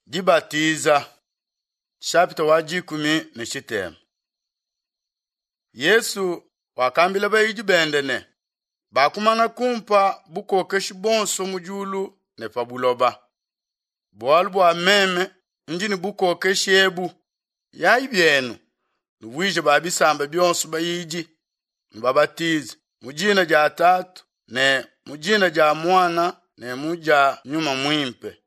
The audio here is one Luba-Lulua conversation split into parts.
Dibatiza shapita wa 13. Yesu wakambila bayidi bende ne, bakumana kumpa bukokeshi bonso mu diulu ne pa buloba. Bualu bua meme ndi ne bukokeshi ebu, yayi bienu, nuvuije ba bisamba bionso bayidi, nubabatize mu dina dia Tatu ne mu dina dia Muana ne mu dia Nyuma Muimpe.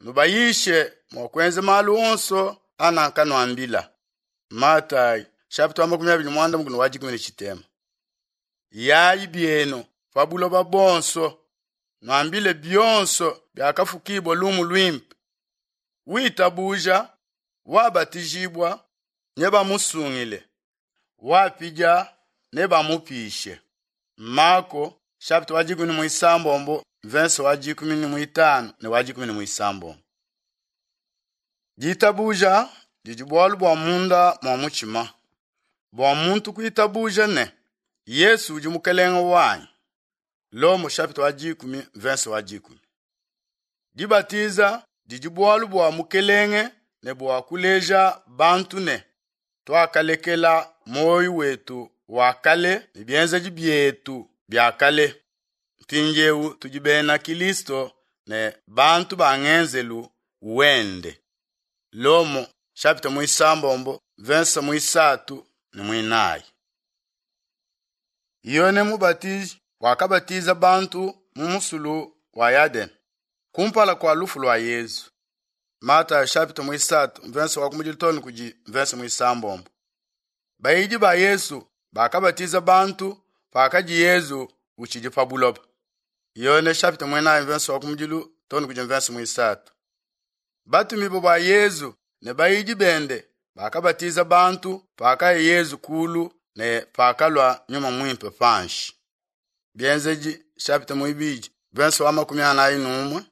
Nubayishe mua kuenza malu onso anakanuambila. Matayi chapitre wa 26 wa 13. Yayi bienu pa buloba bonso, nuambile bionso biakafukibua lumu luimpe. Witabuja, wabatijibua, nebamusungile, wapidia nebamupishe. Marko chapitre wa 16 verse wa 15 ne wa 16. Ditabuja didi bualu bua munda mua mutshima, bua muntu kuitabuja ne Yesu udi mukelenge wanyi. Lomo chapitre wa 10 verse wa 10. Dibatiza didi bualu bua mukelenge ne bua kuleja bantu ne tuakalekela moyo wetu wa kale ne bienzedi bietu bia kale. Mpindieu tudi bena Kristo ne bantu ba ngenzelu wende. Lomo chapitre 9 verse 3 ne 4. Yone Mubatiji wakabatiza bantu mu musulu wa Yadene kumpala kua lufu lua Yezu. Matayo chapitre 3 verse wa kumujilitoni kudi verse 9. Bayidi ba Yesu bakabatiza bantu pakadi Yezu utshidi pa buloba. Yone chapitre 9 verse wa kumujilu toni kudi verse 3. Batumibue ba Yezu ne bayidi bende bakabatiza bantu pakaya Yezu kulu ne pakalua Nyuma Muimpe panshi. Bienzedi chapitre 2 verse wa 41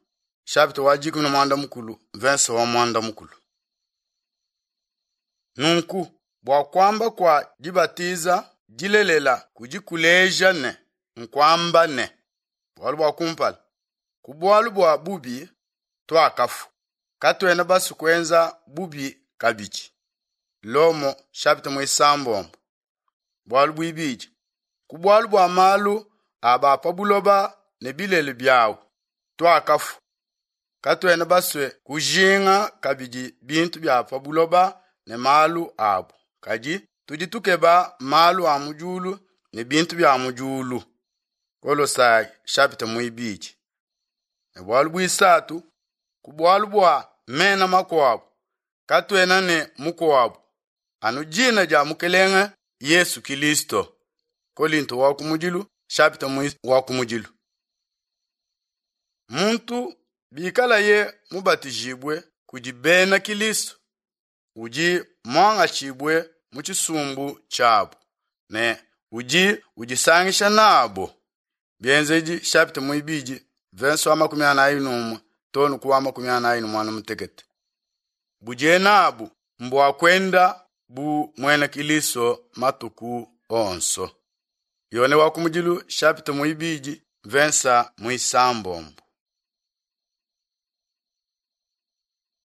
chapitre wa 13 verse wa 10. Nunku bua kuamba kua dibatiza dilelela kudi kuleja ne nkuamba ne bualu bua kumpala ku bualu bua bubi tuakafua katuena basu kuenza bubi kabidi. Lomo chapitre 9. Bualu buibidi ku bualu bua malu a ba pa buloba ne bilele biawu tuakafua katuena basue kujinga kabidi bintu bia pa buloba ne malu abu, kadi tudi tukeba malu a mu diulu ne bintu bia mu diulu. Kolosai chapitre 2. Ne bualu buisatu ku bualu bua mena makuabu katuena ne mukuabu anu dina dia Mukelenge Yesu Kristo. Kolinto wa kumudilu chapitre wa kumudilu. Muntu bikalaye mubatijibue kudi bena Kristo udi muangatshibue mu tshisumbu tshiabu ne udi udisangisha nabo. Bienzedi chapitre 2 verse wa 41 tonu ku wa 48. Budiye nabu mbua kuenda bu muena Kristo matuku onso. Yone wa kumudilu chapitre 2 verse 9.